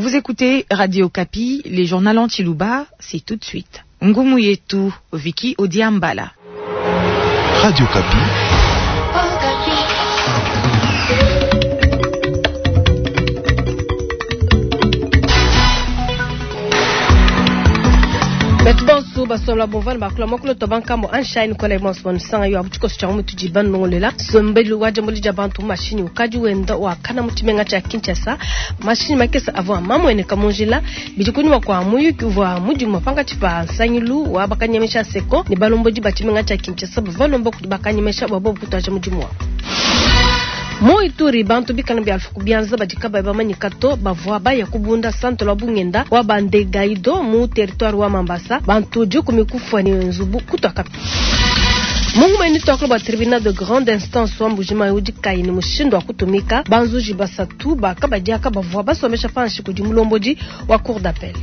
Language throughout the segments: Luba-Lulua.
Vous écoutez Radio Okapi, les journaux en Tshiluba, c'est tout de suite. Ngumu yetu, Vicky Odiambala. Radio Okapi. Betu bonso basola bovana bakula mokolo to bankambo anshine kola bonso bansanga yo abuchiko cha mutu jiban nongolela sombelu waje muli jabantu mashini ukaji wenda wakana muchimenga cha Kinshasa mashini makesa avwa mamwene kamunjila bidi kunyuma kwa muyuki uvwa muji mapanga chipa nsangilu wa bakanyemesha seko ni balomboji bachimenga cha Kinshasa bavalomba kudi bakanyemesha babo kutwaja mujimu wa mu Ituri bantu bikana bya alfu kubianza badikaba bamanyika to bavua baya kubunda santo lwa bungenda wa bandegaido mu territoire wa Mambasa bantu jukumi kufwa ni nzubu kutwaka Mungu mweni twakula ba tribunal de grande instance wa Mbujimayi udi kayi ne mushindu wa kutumika banzuji basatu bakabadiaka bavua basomesha panshi kudi mulombodi wa cour d'appel.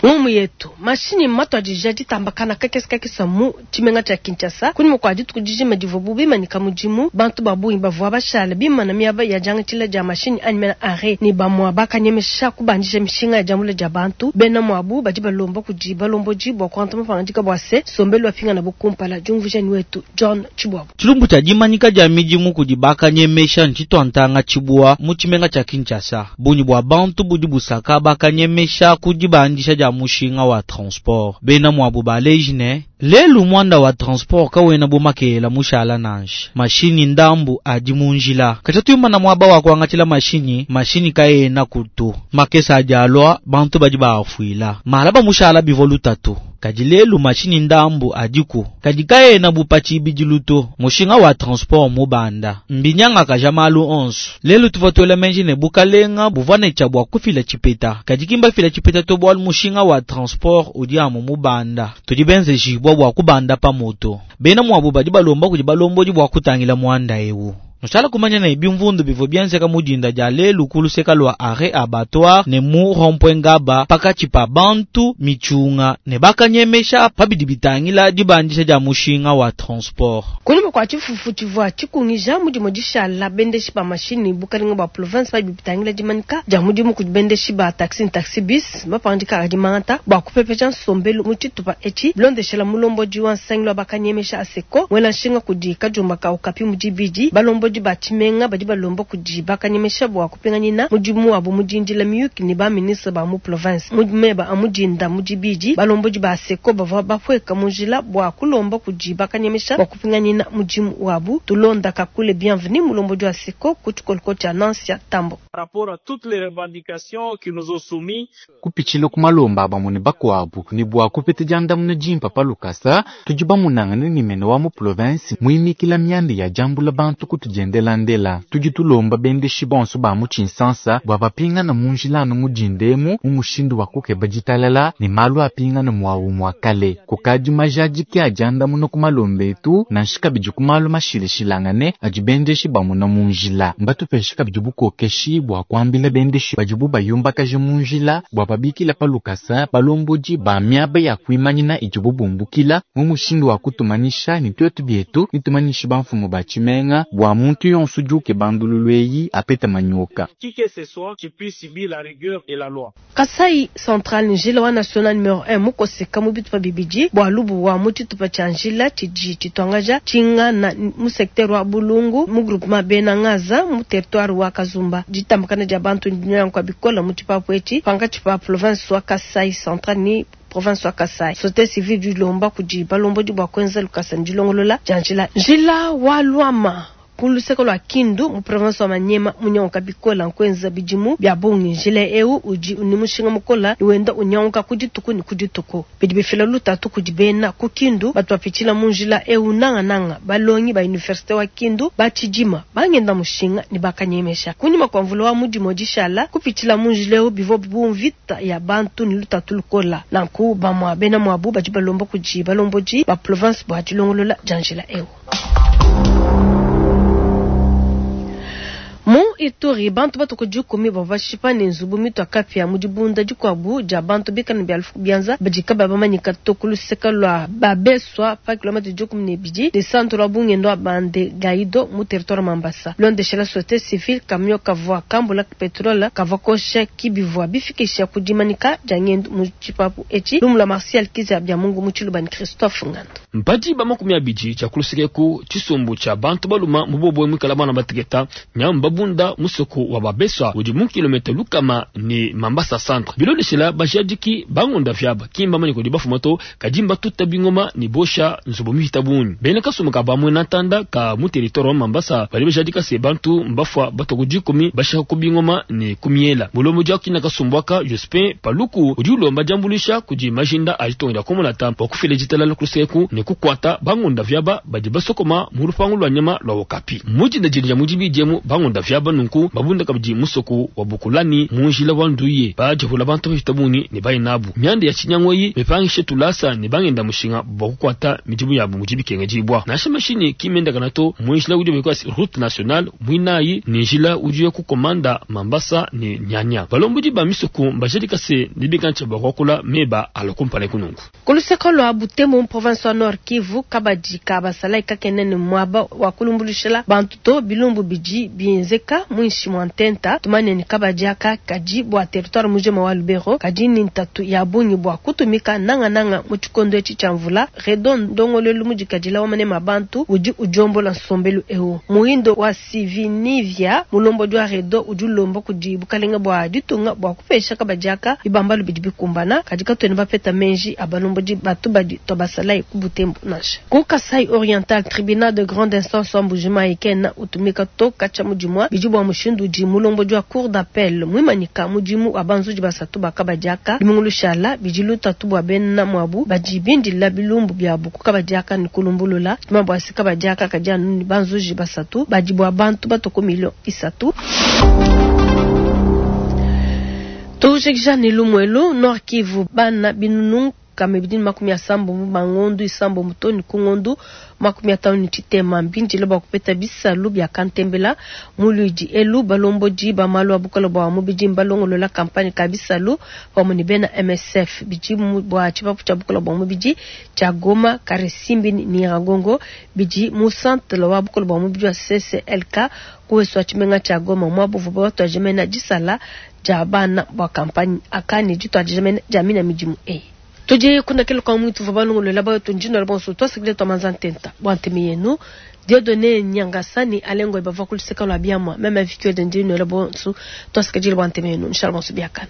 Ngumu yetu mashinyi matwadija ditambakana kakese kakese mu tshimenga tshia Kinshasa kunyima kua dituku dijima divua bu bimanyika mudimu bantu ba bungi bavua bashala bimana miaba ya diangatshila dia mashinyi anyi mena arrêt ne bamua bakanyemesha kubandisha mishinga ya diambula dia bantu bena muabu badi balomba kudi balombodi bua kuangata mapangadika bua se sombelu bapingana bu kumpala diumvuija ni wetu John Tshibwabu. Tshilumbu tshia dimanyika dia midimu kudi bakanyemesha ntshituantanga tshibua mu tshimenga tshia Kinshasa bungi bua bantu budi busaka bakanyemesha ku dibandisha dia mushinga wa transport bena muabu baleji ne lelu mwanda wa transport kawena bumakela mushala nansha mashinyi ndambu adi munjila katshia tuyumana muaba wa kuangatshila mashinyi mashinyi kaena kutu makesa adi alua bantu badi baafuila mala bamushala bivua lutatu kadi lelu mashinyi ndambu adiku kadi kaena bupa tshibidilu to mushinga wa transport mubanda mbinyangakaja malu onso lelu tuvua tuela menji ne bukalenga buvua ne tshia bua kufila tshipeta kadi kimbafila tshipeta to bualu mushinga wa transport udi amu mubanda tudi benzejibua bua kubanda pa moto bena muabu badi balomba kudi balombodi bua kutangila muanda ewu Nushala kumanya ne bimvundu bivua bienzeka mu dinda dia lelu ku luseka lua arrêt abattoir ne mu rond-point Ngaba pakatshi pa bantu mitshunga ne bakanyemesha pa bidi bitangila dibandisha dia mushinga wa transport. Kunyima kua tshifufu tshivua tshikungija mudimu dishala bendeshi ba mashinyi bukalenga bua province pa bidi bitangila dimanyika dia mudimu kudi bendeshi ba taxi ne taxi bus mapangandika adi mangata bua kupepeja nsombelu mu tshitupa etshi bilondeshela mulombodi wa nsangilu wa bakanyemesha aseko mwela nshinga kudi kadiomba ka Okapi mu dibidi balombodi ba tshimenga badi balomba kudi bakanyemesha bua kupinganyina mudimu wabu mu dindila miyuki ne ba ministre ba mu province mu meba a mudinda mu dibidi balombodi ba seko bavua bapueka mu njila bua kulomba kudi bakanyemesha bua kupinganyina mudimu wabu tulonda kakule bienvenu mulombodi wa seko ku tshikoloko tshia Nansia Tambo. Par rapport à toutes les revendications qui nous ont soumis kupitshila ku malomba abamue ne bakuabu ne bua kupeta diandamuna dimpa pa lukasa tudi bamunangane ne mene wa mu province muimikila mianda ya diambula bantu kutudiendelandela tudi tulomba bendeshi bonso ba mu tshinsansa bua bapingana mu njila anu mudindemu mu mushindu wa kukeba ditalala ne malu apingana muawu mua kale kukadi majadiki a diandamuna ku malomba etu nansha kabidi ku malu mashilashilangane adi bendeshi bamuna mu njila mbatupeshe kabidi bukokeshi bua kuambila bendeshi badibu bayumbakaje mu njila bua babikila pa lukasa balombodi ba miaba ya kuimanyina idibu bumbukila mu mushindu wa kutumanisha ne tuetu bietu nitumanyishe bamfumu ba tshimenga bua muntu yonso udi ukeba ndululu eyi apeta manyoka. Qui que ce soit qui puisse subir la rigueur de la loi. Kasai Central njila wa national numero 1 mukoseka mu bitupa bibidi bua lubu wa mu tshitupa tshia njila tshidi tshituangaja tshingana mu secteur wa Bulungu mu groupement Bena Ngaza mu territoire wa Kazumba ditambakana dia bantu dinyanguka bikola mu tshipapu etshi pankatshi pa province wa Kasai Central ni province wa Kasai société civile dilomba kudi balombodi bua kuenza lukasa ndilongolola dia njila njila wa Luama ku luseke lua Kindu mu province wa Maniema munyanguka bikola nkuenza bidimu bia bungi njila eu udi ni mushinga mukola ni wenda unyanguka ku dituku ni ku dituku bidi bifila lutatu kudi bena ku Kindu batu bapitshila mu njila eu nangananga balongi ba université wa Kindu batshidima bangenda mushinga ni bakanyemesha kunyima kua mvula wa mudimu dishala kupitshila mu njila eu bivua bu mvita ya bantu ni lutatu lukola nanku bamua bena muabu badi balomba kudi balombodi ba province bua dilongolola dia njila eu. Mu Ituri, bantu batue ku dikumi bavua bashipa ne nzubu mitua kapia mu dibunda dikuabu dia bantu bikale ne bia lufu ku bianza badi kabayi bamanyika to ku luseke lua Babeswa pa kilometre 12 ne centre wa bungenda wa Bande Gaido mu territoire Mambasa. Bilondeshela societe civile, camion kavua kambula petrole kavua kosha ki bivua bifikisha ku dimanyika dia ngendu mu tshipapu etshi. Lumu lua Martial Kizza Biamungu mu Tshiluba ne Christophe Ngandu. Mpadi ba 20 tshia ku luseke eku tshisumbu tshia bantu baluma mu bobwe muikala bana bateketa nyamu babunda musoko wa Babeswa udi mu kilomètre lukama ne Mambasa centre. Bilondeshela bajadiki bangonda vyaba kimba manye kudi bafuma to kadi mbatuta bingoma ne bosha nzubu mihita bungi. Bena kasumbu ka bamwe na ntanda ka mu territoire wa Mambasa bali bajadika se bantu mbafua batwa ku dikumi bashaka ku bingoma ne kumiela. Mulombo dia kina kasumbu aka Jospin Paluku udi ulomba diambuluisha kudi majinda a ditonga dia komolata bua kufila ditalala ku luseku ne kukuata bangonda vyaba badi basokoma mu lupangu lwa nyama lwa Okapi. Mujinda didi dia mudi bidiemu bangonda vyaba nunku babunda kabidi musoko wa Bukulani mu njila wa Nduye bajihula bantu bapita bungi ne bainabu. Mianda ya tshinyangoyi mipangishe tulasa ne bangenda mushinga bua kukuata midimu yabu mudi bikengedibwa. Nansha mashini kimendakana to mu njila udi bekwa route nationale mwinayi ne njila udi ku komanda Mambasa ne Nyanya. Balombodi ba misoko mbajadika se ne bikantsha bua kuakula meba alokumpala kunungu. Ku luseke lua Butembo mu province wa Nord Kivu, kabadi ka basalayi kakene ne muaba wa kulumbuluishila bantu to bilumbu bidi bienzeka muinshi mua ntenta. Tumanye ne kabadi aka kadi bua territoire mujima wa Lubero kadi ni ntatu ya bungi bua kutumika nangananga mu tshikondo etshi tshia mvula. Redo ndongoluelu mudikadila wa manema bantu udi udiombola nsombelu eu. Muhindo wa Sivinivia mulombodi wa Redo udi ulomba kudi bukalenga bua ditunga bua kupesha kabadi aka bibambalu bidi bikumbana kadi katuena bapeta menji a balombodi batu badi tua basalayi ku Butembo nansha. Ku Kasai Oriental, tribunal de grande instance wa Mbujimayi kena utumika to katshia mudimua bidi bua mushindu udi mulombodi wa cour d'appel muimanyika mudimu wa banzuji basatu ba kabadi aka lumingu lushala bidi lutatu bua bena muabu badi bindila bilumbu biabu ku kabadi aka ne kulumbulula. Tuma bua se kabadi aka kadi anu ne banzuji basatu badi bua bantu batue ku milio isatu. Tujikija ne lumuelu Nord Kivu bana binunu kama bidini makumi asambo bangondu isambo mutoni ku ngondu makumi atano ni tshitema mbindile bua kupeta bisalu bia kantembela muludi elu balombodi ba malu a bukole bua mubidi mbalongolola kampanye ka bisalu pamue ne bena MSF bidi bua tshipapu tshia bukole bua mubidi tshia Goma Karisimbi ni Nyiragongo bidi mu centre wa bukole bua mubidi wa CCLK kuweswa tshimenga tshia Goma muabu buvua batuadije disala dia bana bua kampanye aka ne dituadije dia mina midimu eyi. Tudi kundakela kwa mwitu vua balongolola bayo njino la bonso twasikile twa manza ntenta bua ntemi yenu Dieudonné Nyangasani alengo bava kuluseka lwa biamwa meme vikio de ndino la bonso twasikile bua ntemi yenu inshallah bonso biakana.